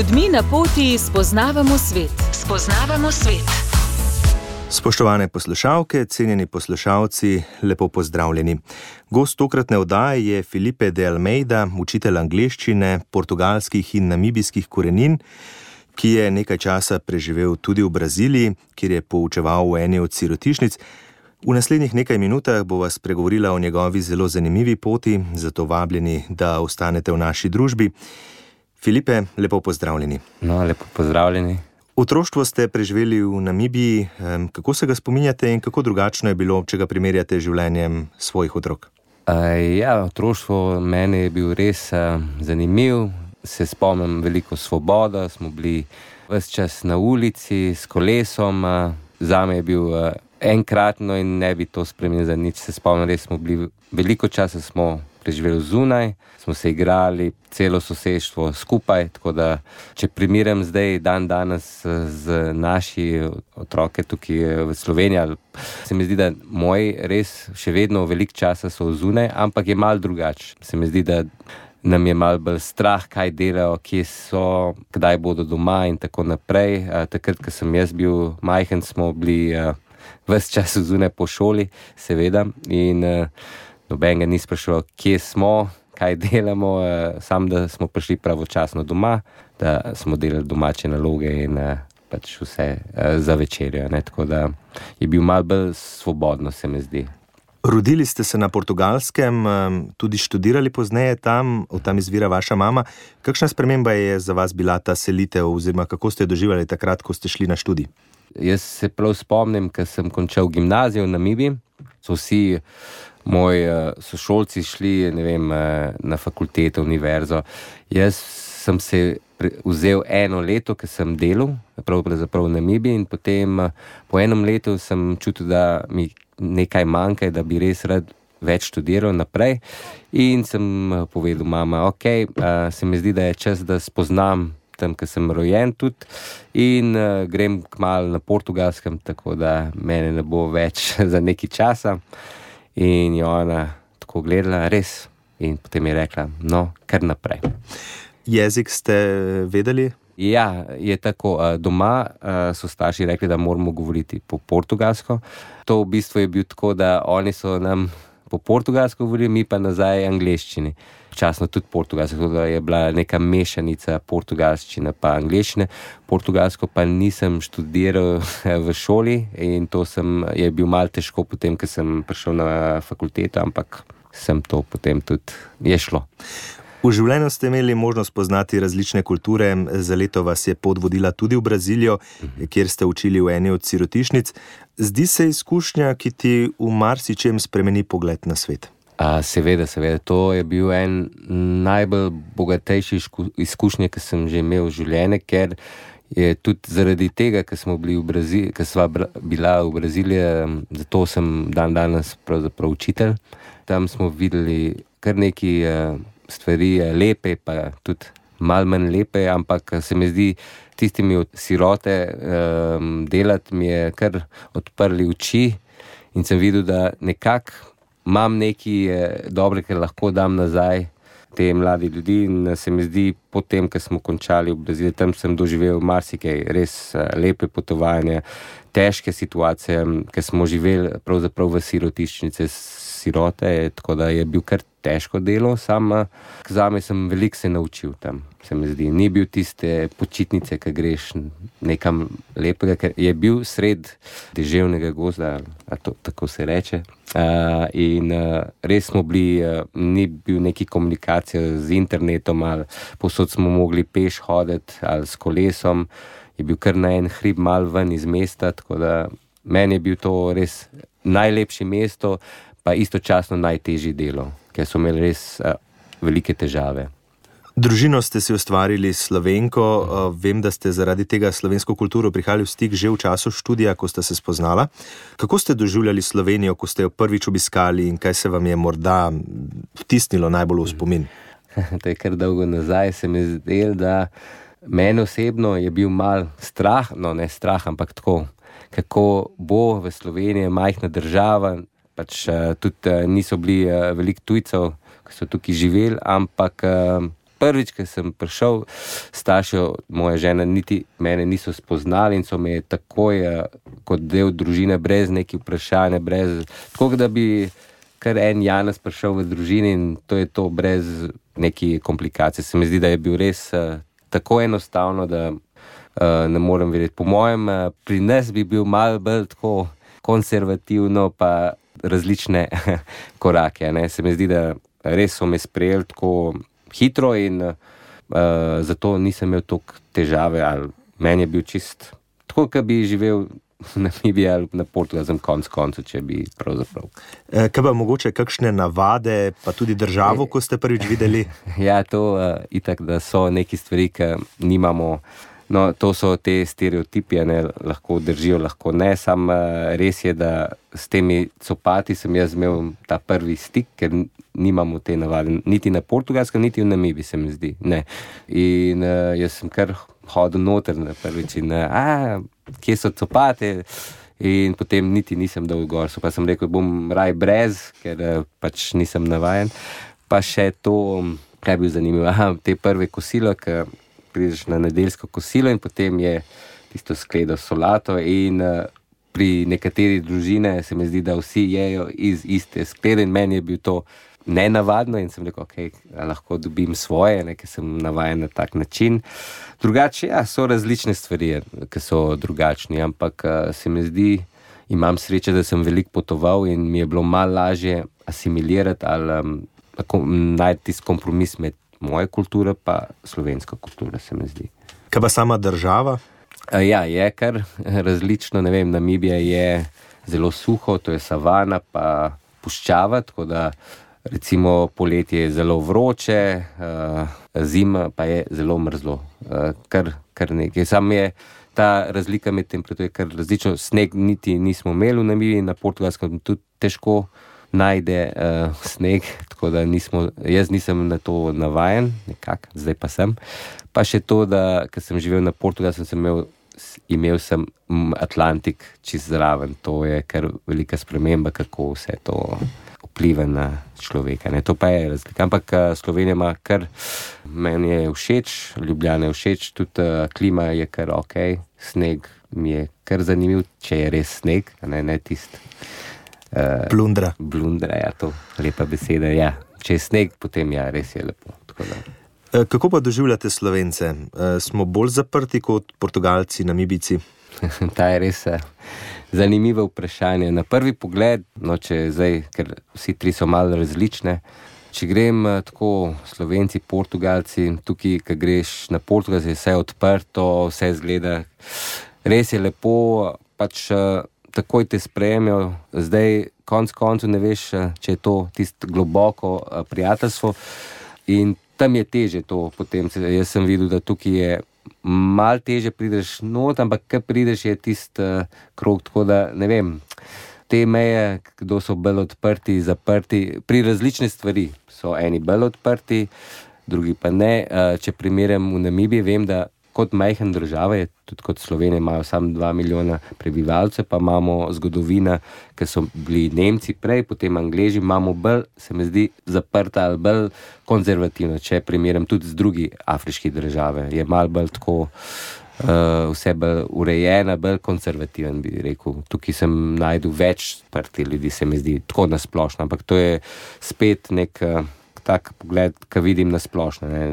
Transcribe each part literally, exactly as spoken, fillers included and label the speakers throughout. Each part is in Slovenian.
Speaker 1: ljudmi na poti spoznavamo svet. Spoznavamo svet.
Speaker 2: Spoštovane poslušalke, cenjeni poslušalci, lepo pozdravljeni. Gost tokratne oddaje je Felipe de Almeida, učitelj angleščine, portugalskih in namibijskih korenin, ki je nekaj časa preživel tudi v Braziliji, kjer je poučeval v eni od sirotišnic. V naslednjih nekaj minutah bova spregovorila o njegovi zelo zanimivi poti, zato vabljeni, da ostanete v naši družbi. Felipe, lepo pozdravljeni.
Speaker 3: No, lepo pozdravljeni.
Speaker 2: Otroštvo ste preživeli v Namibiji. Kako se ga spominjate in kako drugačno je bilo, če ga primerjate z življenjem svojih otrok?
Speaker 3: Uh, ja, otroštvo meni je bil res uh, zanimiv. Se spomnim veliko svoboda, smo bili ves čas na ulici s kolesom. Uh, zame je bil uh, enkratno in ne bi to spremenil za nič. Se spomnim, res smo bili, veliko časa smo preživeli zunaj, smo se igrali, celo sosedstvo skupaj, tako da, če primerjam zdaj dan danes z naši otroke tukaj v Sloveniji, se mi zdi, da moji res še vedno veliko časa so zunaj, ampak je malo drugače. Se mi zdi, da nam je malo bolj strah, kaj delajo, kje so, kdaj bodo doma in tako naprej. Takrat, ko sem jaz bil majhen, smo bili ves čas zunaj po šoli, seveda, in noben ga ni spraševal, kje smo, kaj delamo, sam da smo prišli pravočasno doma, da smo delali domače naloge in pač vse za večerjo. Ne? Tako da je bil malo bolj svobodno, se mi zdi.
Speaker 2: Rodili ste se na Portugalskem, tudi študirali pozneje tam, od tam izvira vaša mama. Kakšna sprememba je za vas bila ta selitev, oziroma kako ste doživljali takrat, ko ste šli na študij?
Speaker 3: Jaz se prav spomnim, ko sem končal gimnazijo v Namibiji, so vsi moji sošolci šli, ne vem, na fakulteto, univerzo. Jaz sem se vzel eno leto, ko sem delal, pravzaprav v Namibiji, in potem po enem letu sem čutil, da mi nekaj manjka, da bi res rad več študiral naprej. In sem povedal mama, ok, se mi zdi, da je čas, da spoznam tam, ko sem rojen tudi, in uh, grem kmalu na Portugalskem, tako da mene ne bo več za nekaj časa. In je ona tako gledala, res, in potem je rekla, no, kar naprej.
Speaker 2: Jezik ste vedeli?
Speaker 3: Ja, je tako. Doma so starši rekli, da moramo govoriti po portugalsko. To v bistvu je bil tako, da oni so nam po portugalsko govorili, mi pa nazaj angleščini. Včasno tudi portugalsko, tako da je bila neka mešanica portugalščine pa angleščine. Portugalsko pa nisem študiral v šoli in to sem, je bil malo težko potem, ko sem prišel na fakulteto, ampak sem to potem tudi je šlo.
Speaker 2: V življenju ste imeli možnost poznati različne kulture, za leto vas je pot vodila tudi v Brazilijo, kjer ste učili v eni od sirotišnic. Zdi se izkušnja, ki ti v marsičem spremeni pogled na svet?
Speaker 3: A, seveda, seveda. To je bil en najbolj bogatejši izkušnje, ki sem že imel v življenju, ker je tudi zaradi tega, ker smo bili v Braziliji, ker sva bila v Braziliji, zato sem dan danes pravzaprav učitelj. Tam smo videli kar nekaj stvari lepe, pa tudi malo manj lepe, ampak se mi zdi, tistimi od sirote um, delati mi je kar odprli oči in sem videl, da nekako imam nekaj dobre, ker lahko dam nazaj te mladi ljudi, in se mi zdi, potem, ko smo končali v Braziliji, tam sem doživel marsikaj, res lepe potovanje, težke situacije, ker smo živeli pravzaprav v sirotišnice sirote, tako da je bil kar težko delo, sam zame sem veliko se naučil tam, se mi zdi. Ni bil tiste počitnice, ki greš nekam lepega, ker je bil sred deževnega gozda, a to tako se reče. Uh, in uh, res smo bili, uh, ni bil neki komunikacija z internetom, ali povsod smo mogli peš hoditi, ali s kolesom. Je bil kar na en hrib mal ven iz mesta, tako da meni je bil to res najlepše mesto, pa istočasno najtežje delo, ker so imeli res uh, velike težave.
Speaker 2: Družino ste si ustvarili s Slovenko, uh, vem, da ste zaradi tega slovensko kulturo prihajali v stik že v času študija, ko ste se spoznala. Kako ste doživljali Slovenijo, ko ste jo prvič obiskali, in kaj se vam je morda vtisnilo najbolj v spomin?
Speaker 3: To je kar dolgo nazaj, se mi zdelo, da meni osebno je bil mal strah, no ne strah, ampak tako, kako bo v Sloveniji majhna država, pač uh, tudi uh, niso bili uh, veliko tujcev, ki so tukaj živeli, ampak uh, prvič, ko sem prišel, starši moja žena niti mene niso spoznali in so me takoj kot del družine, brez nekih vprašanja, brez, tako da bi kar en Janez prišel v družini in to je to, brez nekih komplikacij. Se mi zdi, da je bil res uh, tako enostavno, da uh, ne morem verjeti. Po mojem, uh, pri nas bi bil malo bolj tako konservativno pa različne korake. Ne? Se mi zdi, da res so me sprejeli tako hitro in uh, zato nisem imel toliko težave. Ali meni je bil čist tako, kot bi živel na Namibiji ali na Portugalskem konc koncu, če bi pravzaprav.
Speaker 2: E, kaj pa mogoče kakšne navade, pa tudi državo, ko ste prvič videli?
Speaker 3: Ja, to uh, itak, da so neki stvari, ki nimamo. No, to so te stereotipi, ne, lahko držijo, lahko ne. Sam uh, res je, da s temi copati sem jaz imel ta prvi stik, ker nimamo te navade. Niti na Portugalskem, niti v Namibiji, se mi zdi. Ne. In uh, jaz sem kar hodil noter na prvič in a, kje so copate, in potem niti nisem dal gor. So pa sem rekel, bom raj brez, ker pač nisem navajen. Pa še to, kaj bi zanimivo, aha, te prve kosilo, ki prideš na nedeljsko kosilo in potem je tisto skledo solato in uh, pri nekateri družine se mi zdi, da vsi jejo iz iste sklede in meni je bil to nenavadno in sem rekel, ok, lahko dobim svoje, ne, ker sem navajen na tak način. Drugače, ja, so različne stvari, ki so drugačni, ampak uh, se mi zdi, imam sreče, da sem veliko potoval in mi je bilo malo lažje asimilirati ali um, najti tisti kompromis med moje kulture pa slovenska kultura, se mi zdi.
Speaker 2: Kaj pa sama država?
Speaker 3: Uh, ja, je kar različno, ne vem, Namibija je zelo suho, to je savana pa puščava, tako da recimo poletje je zelo vroče, uh, zima pa je zelo mrzlo, uh, kar, kar nekaj. Sam je ta razlika med temperaturo je kar različno, sneg niti nismo imeli v Namibiji, na Portugalskem tudi težko najde uh, sneg, tako da nismo, jaz nisem na to navajen, nekako, zdaj pa sem. Pa še to, da ko sem živel na Portugalskem, sem imel, imel sem Atlantik čist zraven, to je kar velika sprememba, kako vse to vpliva na človeka. Ne? To pa je razlika. Ampak Slovenija ima kar, meni je všeč, Ljubljana je všeč, tudi uh, klima je kar ok, sneg mi je kar zanimiv, če je res sneg, ne, ne tist. Uh,
Speaker 2: Blundra.
Speaker 3: Blundra, ja, to lepa beseda, ja. Če je sneg, potem ja, res je lepo. Tako da.
Speaker 2: Kako pa doživljate Slovence? Smo bolj zaprti kot Portugalci, Namibijci?
Speaker 3: Ta je res zanimivo vprašanje. Na prvi pogled, no če zdaj, ker vsi tri so malo različne, če grem tako Slovenci, Portugalci, tukaj, ko greš na Portugalci, je vse odprto, vse izgleda, res je lepo, pač takoj te sprejmejo, zdaj konc koncu ne veš, če je to tisto globoko prijateljstvo in tam je teže to potem. Jaz sem videl, da tukaj je malo teže prideš not, ampak kaj prideš je tist uh, krog, tako da ne vem, te meje, kdo so bolj odprti, zaprti, pri različne stvari so eni bolj odprti, drugi pa ne. Uh, če primerjam v Namibiji, vem, da kot majhen država je, tudi kot Slovenija imajo samo dva milijona prebivalcev, pa imamo zgodovina, ker so bili Nemci prej, potem Angleži, imamo bolj, se mi zdi, zaprta ali bolj konzervativno, če primerjam tudi z drugi afriški države. Je malo bolj tako uh, vse bolj urejena, bolj konzervativen, bi rekel. Tukaj sem najdel več sprti ljudi, se mi zdi, tako nasplošno, ampak to je spet nek uh, tak pogled, ki vidim nasplošno. Ne.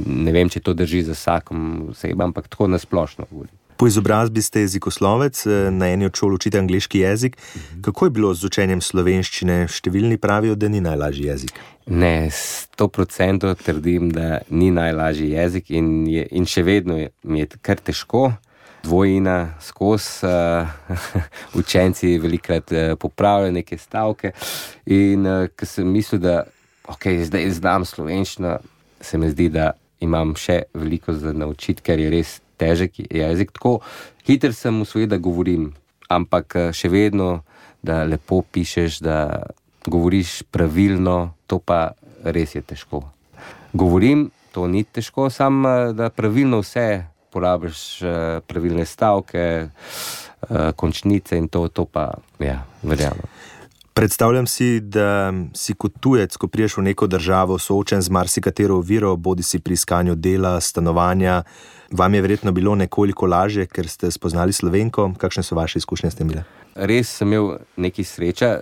Speaker 3: ne vem, če to drži za vsakom osebam, ampak tako nasplošno govorim.
Speaker 2: Po izobrazbi ste jezikoslovec, na eni od šol učite angleški jezik. Kako je bilo z učenjem slovenščine? Številni pravijo, da ni najlažji jezik.
Speaker 3: Ne, sto procentov trdim, da ni najlažji jezik in, je, in še vedno je, mi je kar težko. Dvojina skozi, uh, učenci velikrat uh, popravljajo neke stavke in uh, ko sem mislil, da ok, zdaj znam slovenščino, se mi zdi, da imam še veliko za naučiti, ker je res težek jezik. Tako hiter sem usvojil, da govorim, ampak še vedno, da lepo pišeš, da govoriš pravilno, to pa res je težko. Govorim, to ni težko, samo da pravilno vse porabiš, pravilne stavke, končnice in to, to pa, ja, verjamem.
Speaker 2: Predstavljam si, da si kot tujec, ko priješ v neko državo, soočen z marsikatero oviro, bodi si pri iskanju dela, stanovanja. Vam je verjetno bilo nekoliko lažje, ker ste spoznali Slovenko. Kakšne so vaše izkušnje s tem bile?
Speaker 3: Res sem imel nekaj sreča.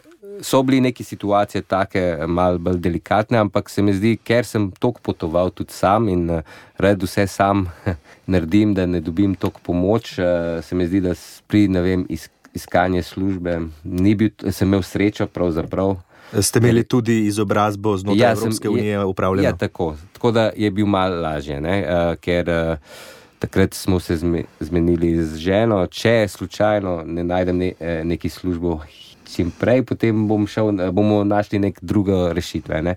Speaker 3: So bili neke situacije take malo bolj delikatne, ampak se mi zdi, ker sem toliko potoval tudi sam in rad vse sam naredim, da ne dobim toliko pomoč, se mi zdi, da pri, ne vem, iskanje službe ni bil, sem imel srečo pravzaprav.
Speaker 2: Ste imeli tudi izobrazbo znotraj ja, Evropske sem, unije upravljeno?
Speaker 3: Ja, tako. Tako da je bil malo lažje, ne? Uh, ker uh, takrat smo se zmenili z ženo, če slučajno ne najdem ne, neki službo čim prej, potem bom šel, bomo našli nek drugo rešitve. Ne?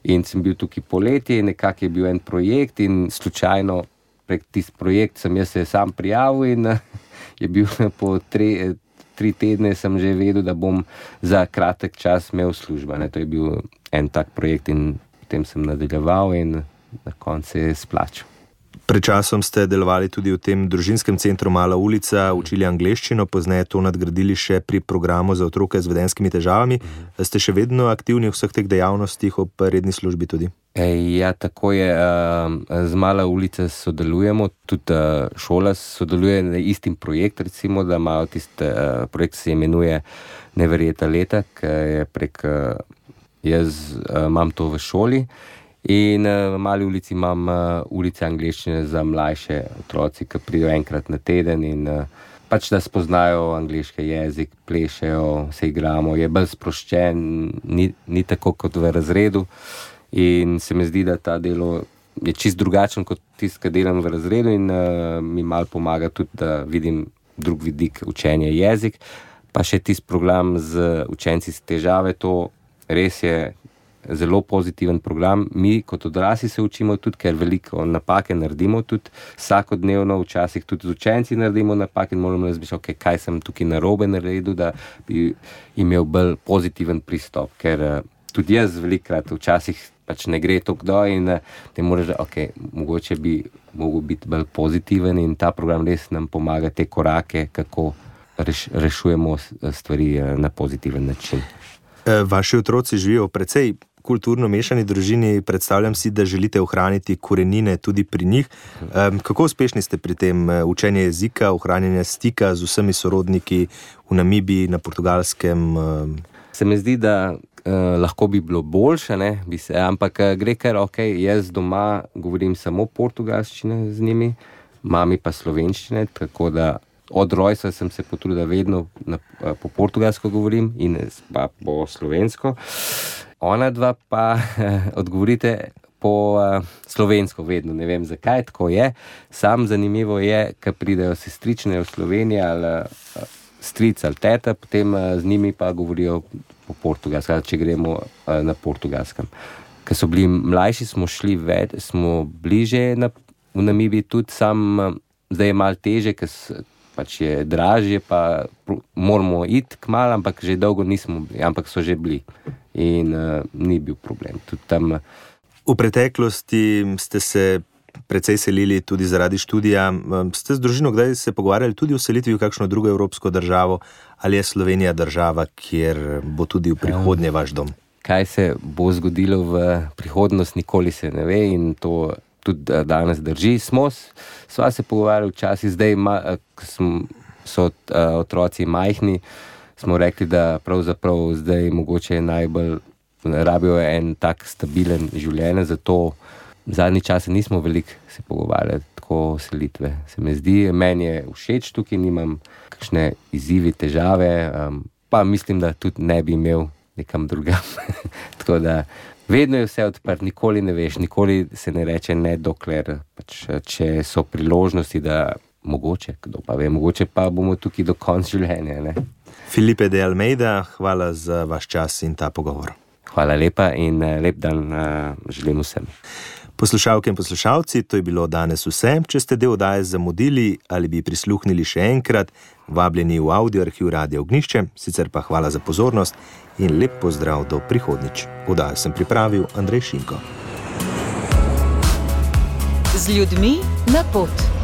Speaker 3: In sem bil tukaj poleti, nekako je bil en projekt in slučajno prek tisti projekt sem jaz se sam prijavil in je bil po tre, tri tedne sem že vedel, da bom za kratek čas imel služba. Ne? To je bil en tak projekt in potem sem nadaljeval in na koncu se je splačal.
Speaker 2: Pred časom ste delovali tudi v tem družinskem centru Mala ulica, učili angleščino, pozneje to nadgradili še pri programu za otroke z vedenjskimi težavami. Ste še vedno aktivni v vseh teh dejavnostih ob redni službi tudi?
Speaker 3: E, ja, tako je. Z Mala ulica sodelujemo, tudi šola sodeluje na istim projekt, recimo, da imajo tiste projekt, se imenuje Neverjetna leta, ki je prek, jaz imam to v šoli. In v Mali ulici imam ulice angleščine za mlajše otroci, ki pridejo enkrat na teden in pač da spoznajo angleški jezik, plešejo, se igramo, je bolj sproščen, ni, ni tako kot v razredu in se mi zdi, da ta delo je čist drugačen kot tisto, ki delam v razredu in uh, mi malo pomaga tudi, da vidim drug vidik učenja jezik, pa še tisti program z učenci s težave, to res je zelo pozitiven program. Mi kot odrasli se učimo tudi, ker veliko napake naredimo tudi vsakodnevno, včasih tudi z učenci naredimo napake in moramo razmišljati, okay, kaj sem tukaj narobe naredil, da bi imel bolj pozitiven pristop, ker tudi jaz velikokrat včasih pač ne gre toliko do in te moraš, ok, mogoče bi mogel biti bolj pozitiven in ta program res nam pomaga te korake, kako reš, rešujemo stvari na pozitiven način.
Speaker 2: Vaši otroci živijo precej kulturno mešani družini, predstavljam si, da želite ohraniti korenine tudi pri njih. Kako uspešni ste pri tem učenju jezika, ohranjanje stika z vsemi sorodniki v Namibiji, na Portugalskem?
Speaker 3: Se mi zdi, da eh, lahko bi bilo boljše, ne, bi se, ampak gre kar, ok, jaz doma govorim samo portugalščine z njimi, mami pa slovenščine, tako da od rojstva sem se potrudil, vedno na, po portugalsko govorim in pa po slovensko. Ona dva pa odgovorite po uh, slovensko vedno, ne vem zakaj, tako je. Sam zanimivo je, ko pridejo sestrične v Sloveniji ali uh, stric ali teta, potem uh, z njimi pa govorijo po portugalsko, če gremo uh, na portugalskem. Ko so bili mlajši, smo šli več, smo bliže na, v Namibiji tudi, sam uh, zdaj je malo teže, ker pač je dražje, pa moramo iti kmalu, ampak že dolgo nismo bili, ampak so že bili in uh, ni bil problem. Tudi tam...
Speaker 2: V preteklosti ste se precej selili tudi zaradi študija. Ste z družino kdaj se pogovarjali tudi o selitvi v kakšno drugo evropsko državo, ali je Slovenija država, kjer bo tudi v prihodnje vaš dom?
Speaker 3: Kaj se bo zgodilo v prihodnost, nikoli se ne ve in to tudi danes drži. Smo, sva se pogovarjali včasih, zdaj, ko so otroci majhni, smo rekli, da pravzaprav zdaj mogoče je najbolj rabijo en tak stabilen življenje, zato zadnji čas nismo veliko se pogovarjali tako selitve. Se mi zdi, meni je všeč tukaj, nimam kakšne izzivi, težave, um, pa mislim, da tudi ne bi imel nekam drugam. Tako da vedno je vse odprt, nikoli ne veš, nikoli se ne reče ne, dokler pač, če so priložnosti, da mogoče, kdo pa ve, mogoče pa bomo tukaj do konca življenja. Ne?
Speaker 2: Filipe de Almeida, hvala za vaš čas in ta pogovor.
Speaker 3: Hvala lepa in lep dan uh, želim vsem.
Speaker 2: Poslušalke in poslušalci, to je bilo danes vse. Če ste del oddaje zamudili ali bi prisluhnili še enkrat, vabljeni v audio arhiv Radia Ognjišče, sicer pa hvala za pozornost in lep pozdrav do prihodnjič. Oddajo sem pripravil Andrej Šinko.
Speaker 1: Z ljudmi na pot.